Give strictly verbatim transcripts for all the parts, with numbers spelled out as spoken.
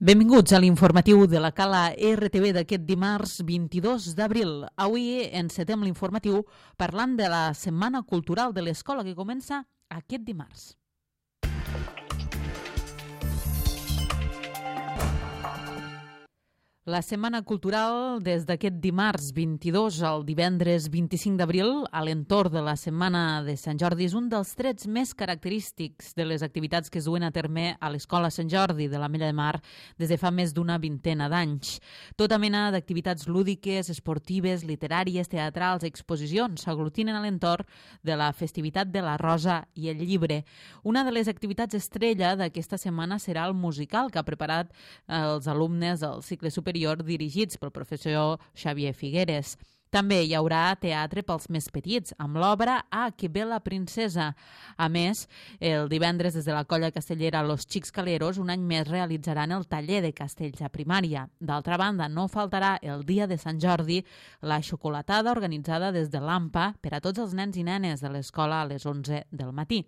Benvinguts a l'informatiu de la Cala R T V d'aquest dimarts vint-i-dos d'abril. Avui encetem l'informatiu parlant de la Setmana Cultural de l'Escola que comença aquest dimarts. La Setmana Cultural, des d'aquest dimarts vint-i-dos al divendres vint-i-cinc d'abril, a l'entorn de la Setmana de Sant Jordi, és un dels trets més característics de les activitats que es duen a terme a l'Escola Sant Jordi de l'Ametlla de Mar des de fa més d'una vintena d'anys. Tota mena d'activitats lúdiques, esportives, literàries, teatrals, exposicions s'aglutinen a l'entorn de la festivitat de la Rosa i el Llibre. Una de les activitats estrella d'aquesta setmana serà el musical que ha preparat els alumnes del cicle superior dirigits pel professor Xavier Figueres. També hi haurà teatre pels més petits, amb l'obra Ah, que bé la princesa. A més, el divendres des de la colla castellera Los Xics Caleros un any més realitzaran el taller de castells a primària. D'altra banda, no faltarà el dia de Sant Jordi la xocolatada organitzada des de l'AMPA per a tots els nens i nenes de l'escola a les onze del matí.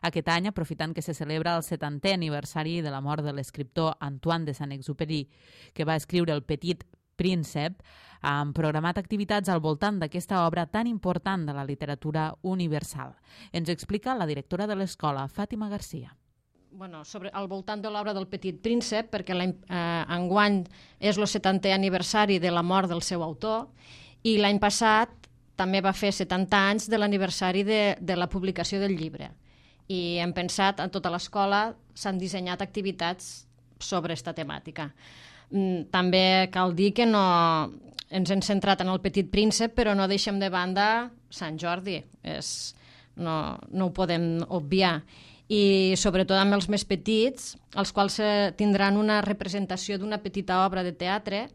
Aquest any, aprofitant que se celebra el setantè aniversari de la mort de l'escriptor Antoine de Saint-Exupéry, que va escriure El Petit Príncep, han programat activitats al voltant d'aquesta obra tan important de la literatura universal. Ens explica la directora de l'escola, Fàtima Garcia. Bueno, sobre, al voltant de l'obra del Petit Príncep, perquè eh, enguany és el setantè aniversari de la mort del seu autor, i l'any passat també va fer setanta anys de l'aniversari de, de la publicació del llibre. I hem pensat, en tota l'escola s'han dissenyat activitats sobre aquesta temàtica. També cal dir que no ens hem centrat en el Petit Príncep, però no deixem de banda Sant Jordi. És, no, no ho podem obviar. I sobretot amb els més petits, els quals tindran una representació d'una petita obra de teatre,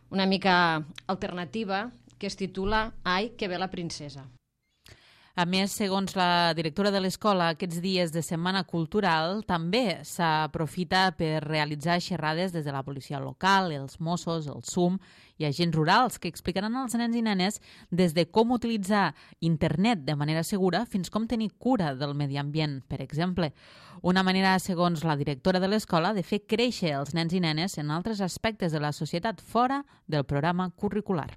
una mica alternativa, que es titula Ai, que bé la princesa. A més, segons la directora de l'escola, aquests dies de Setmana Cultural també s'aprofita per realitzar xerrades des de la policia local, els Mossos, el S U M i agents rurals que explicaran als nens i nenes des de com utilitzar internet de manera segura fins com tenir cura del medi ambient, per exemple. Una manera, segons la directora de l'escola, de fer créixer els nens i nenes en altres aspectes de la societat fora del programa curricular.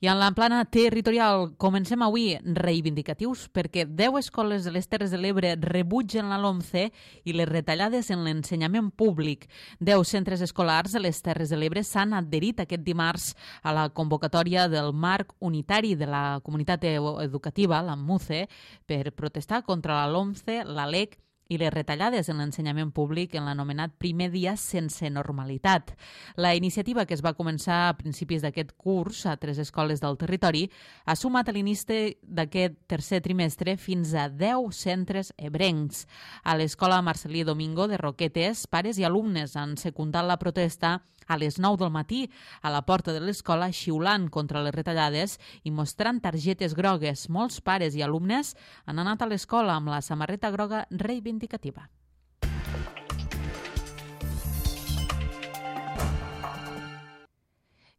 I en la plana territorial comencem avui reivindicatius perquè deu escoles de les Terres de l'Ebre rebutgen la LOMCE i les retallades en l'ensenyament públic. Deu centres escolars de les Terres de l'Ebre s'han adherit aquest dimarts a la convocatòria del Marc Unitari de la Comunitat Educativa, la MUCE, per protestar contra la LOMCE, la LEC i les retallades en l'ensenyament públic en l'anomenat primer dia sense normalitat. La iniciativa, que es va començar a principis d'aquest curs a tres escoles del territori, ha sumat a l'inici d'aquest tercer trimestre fins a deu centres ebrencs. A l'escola Marcelí Domingo de Roquetes, pares i alumnes han secundat la protesta a les nou del matí a la porta de l'escola, xiulant contra les retallades i mostrant targetes grogues. Molts pares i alumnes han anat a l'escola amb la samarreta groga reivindicativa.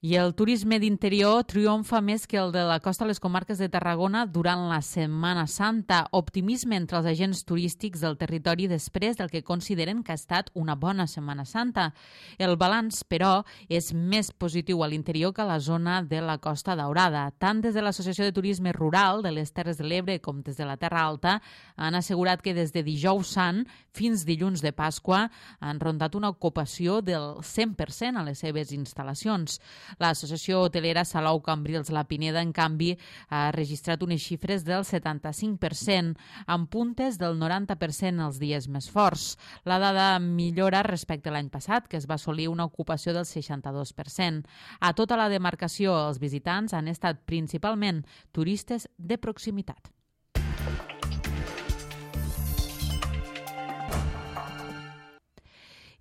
I el turisme d'interior triomfa més que el de la costa a les comarques de Tarragona durant la Setmana Santa. Optimisme entre els agents turístics del territori després del que consideren que ha estat una bona Setmana Santa. El balanç, però, és més positiu a l'interior que a la zona de la Costa Daurada. Tant des de l'Associació de Turisme Rural de les Terres de l'Ebre com des de la Terra Alta han assegurat que des de dijous sant fins dilluns de Pasqua han rondat una ocupació del cent per cent a les seves instal·lacions. L'associació hotelera Salou Cambrils La Pineda, en canvi, ha registrat unes xifres del setanta-cinc per cent, amb puntes del noranta per cent els dies més forts. La dada millora respecte a l'any passat, que es va assolir una ocupació del seixanta-dos per cent. A tota la demarcació, els visitants han estat principalment turistes de proximitat.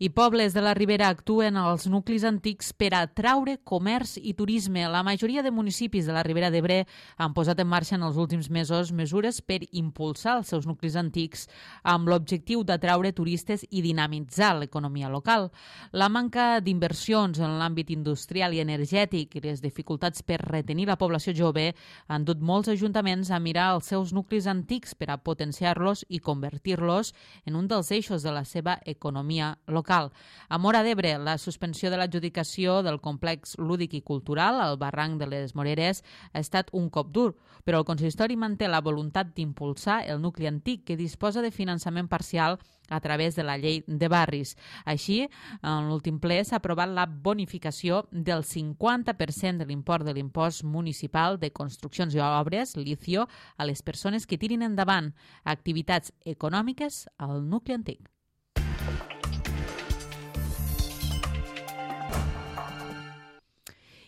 I pobles de la Ribera actuen als nuclis antics per atraure comerç i turisme. La majoria de municipis de la Ribera d'Ebre han posat en marxa en els últims mesos mesures per impulsar els seus nuclis antics amb l'objectiu d'atraure turistes i dinamitzar l'economia local. La manca d'inversions en l'àmbit industrial i energètic i les dificultats per retenir la població jove han dut molts ajuntaments a mirar els seus nuclis antics per a potenciar-los i convertir-los en un dels eixos de la seva economia local. A Móra d'Ebre, la suspensió de l'adjudicació del complex lúdic i cultural al barranc de les Moreres ha estat un cop dur, però el consistori manté la voluntat d'impulsar el nucli antic que disposa de finançament parcial a través de la llei de barris. Així, en l'últim ple s'ha aprovat la bonificació del cinquanta per cent de l'import de l'impost municipal de construccions i obres, l'I C I O, a les persones que tirin endavant activitats econòmiques al nucli antic.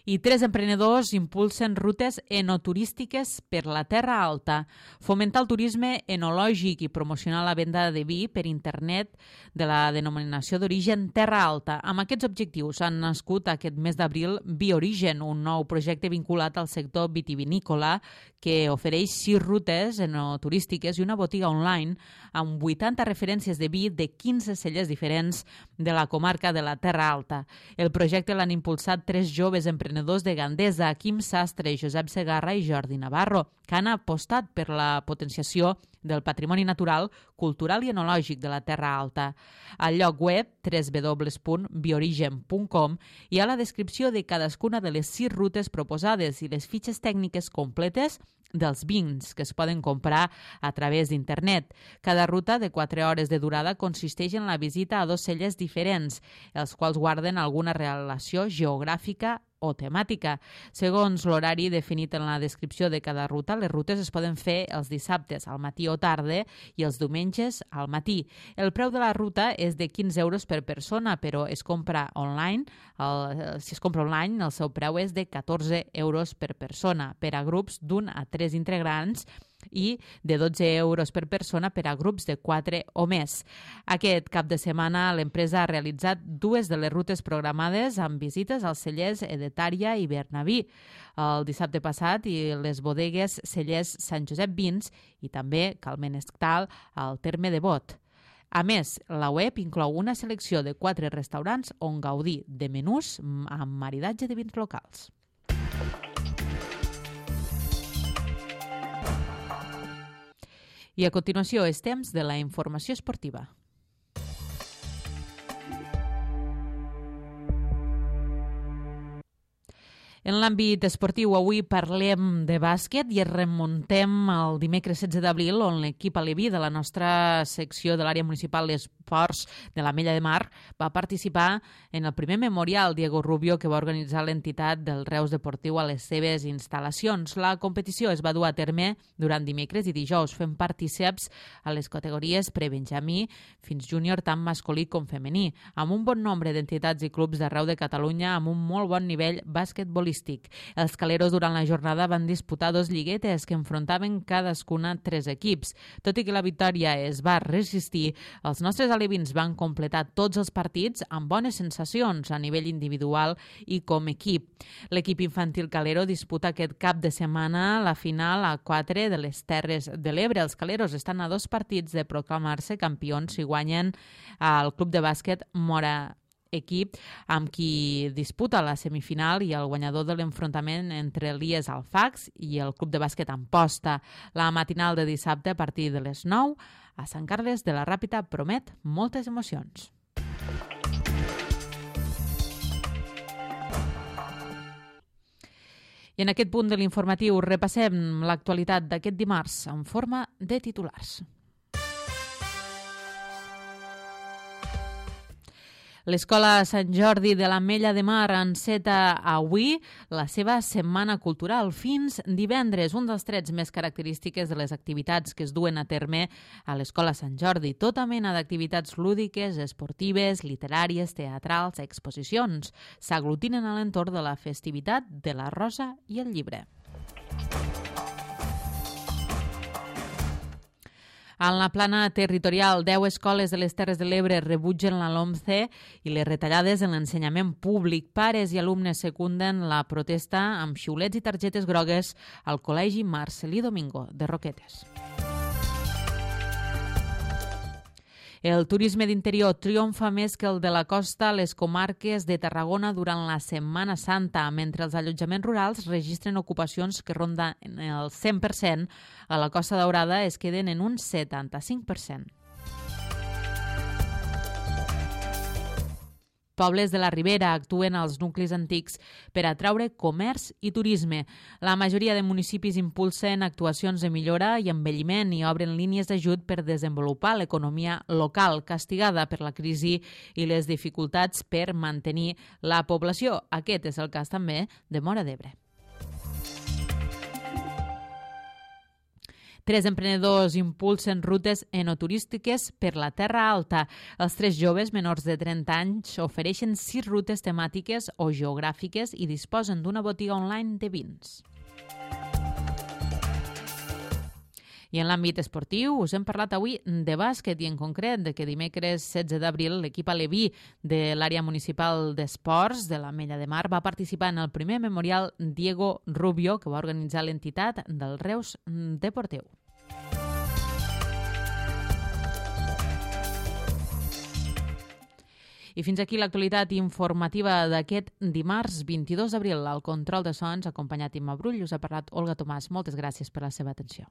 I tres emprenedors impulsen rutes enoturístiques per la Terra Alta, fomentar el turisme enològic i promocionar la venda de vi per internet de la denominació d'origen Terra Alta. Amb aquests objectius han nascut aquest mes d'abril Biorigen, un nou projecte vinculat al sector vitivinícola que ofereix sis rutes enoturístiques i una botiga online amb vuitanta referències de vi de quinze cellers diferents de la comarca de la Terra Alta. El projecte l'han impulsat tres joves emprenedors de Gandesa, Quim Sastre, Josep Segarra i Jordi Navarro, que han apostat per la potenciació del patrimoni natural, cultural i enològic de la Terra Alta. Al lloc web w w w punt biorigen punt com hi ha la descripció de cadascuna de les sis rutes proposades i les fitxes tècniques completes dels vins que es poden comprar a través d'internet. Cada ruta de quatre hores de durada consisteix en la visita a dos cellers diferents, els quals guarden alguna relació geogràfica o temàtica. Segons l'horari definit en la descripció de cada ruta, les rutes es poden fer els dissabtes al matí o tarda i els diumenges al matí. El preu de la ruta és de quinze euros per persona, però es compra online. El, si es compra online, el seu preu és de catorze euros per persona, per a grups d'un a tres integrants, i de dotze euros per persona per a grups de quatre o més. Aquest cap de setmana l'empresa ha realitzat dues de les rutes programades amb visites als cellers Edetària i Bernaví el dissabte passat i les bodegues cellers Sant Josep Vins i també Calmenestal al terme de Bot. A més, la web inclou una selecció de quatre restaurants on gaudir de menús amb maridatge de vins locals. I a continuació és temps de la informació esportiva. En l'àmbit esportiu, avui parlem de bàsquet i es remuntem al dimecres setze d'abril, on l'equip aleví de la nostra secció de l'àrea municipal d'esports de l'Ametlla de Mar va participar en el primer memorial Diego Rubio que va organitzar l'entitat del Reus Deportiu a les seves instal·lacions. La competició es va dur a terme durant dimecres i dijous, fent partíceps a les categories prebenjamí fins júnior tant masculí com femení, amb un bon nombre d'entitats i clubs d'arreu de Catalunya amb un molt bon nivell basquetbolístic. Els caleros durant la jornada van disputar dos lliguetes que enfrontaven cadascuna tres equips. Tot i que la victòria es va resistir, els nostres alevins van completar tots els partits amb bones sensacions a nivell individual i com equip. L'equip infantil calero disputa aquest cap de setmana la final a quatre de les Terres de l'Ebre. Els caleros estan a dos partits de proclamar-se campions si guanyen al club de bàsquet Móra equip amb qui disputa la semifinal i el guanyador de l'enfrontament entre l'I E S Alfax i el club de bàsquet Amposta. La matinal de dissabte a partir de les nou a Sant Carles de la Ràpita promet moltes emocions. I en aquest punt de l'informatiu repassem l'actualitat d'aquest dimarts en forma de titulars. L'Escola Sant Jordi de l'Ametlla de Mar enceta avui la seva setmana cultural fins divendres, un dels trets més característiques de les activitats que es duen a terme a l'Escola Sant Jordi. Tota mena d'activitats lúdiques, esportives, literàries, teatrals, exposicions s'aglutinen a l'entorn de la festivitat de la Rosa i el Llibre. En la plana territorial, deu escoles de les Terres de l'Ebre rebutgen la LOMCE i les retallades en l'ensenyament públic. Pares i alumnes secunden la protesta amb xiulets i targetes grogues al Col·legi Marcelí Domingo de Roquetes. El turisme d'interior triomfa més que el de la costa a les comarques de Tarragona durant la Setmana Santa, mentre els allotjaments rurals registren ocupacions que ronden el cent per cent, a la Costa Daurada es queden en un setanta-cinc per cent. Pobles de la Ribera actuen als nuclis antics per atraure comerç i turisme. La majoria de municipis impulsen actuacions de millora i embelliment i obren línies d'ajut per desenvolupar l'economia local, castigada per la crisi i les dificultats per mantenir la població. Aquest és el cas també de Móra d'Ebre. Tres emprenedors impulsen rutes enoturístiques per la Terra Alta. Els tres joves menors de trenta anys ofereixen sis rutes temàtiques o geogràfiques i disposen d'una botiga online de vins. I en l'àmbit esportiu us hem parlat avui de bàsquet i en concret de que dimecres setze d'abril l'equip aleví de l'àrea municipal d'esports de l'Ametlla de Mar va participar en el primer memorial Diego Rubio que va organitzar l'entitat del Reus Deportiu. I fins aquí l'actualitat informativa d'aquest dimarts vint-i-dos d'abril. Al control de sons, acompanyat Imma Brull, us ha parlat Olga Tomàs. Moltes gràcies per la seva atenció.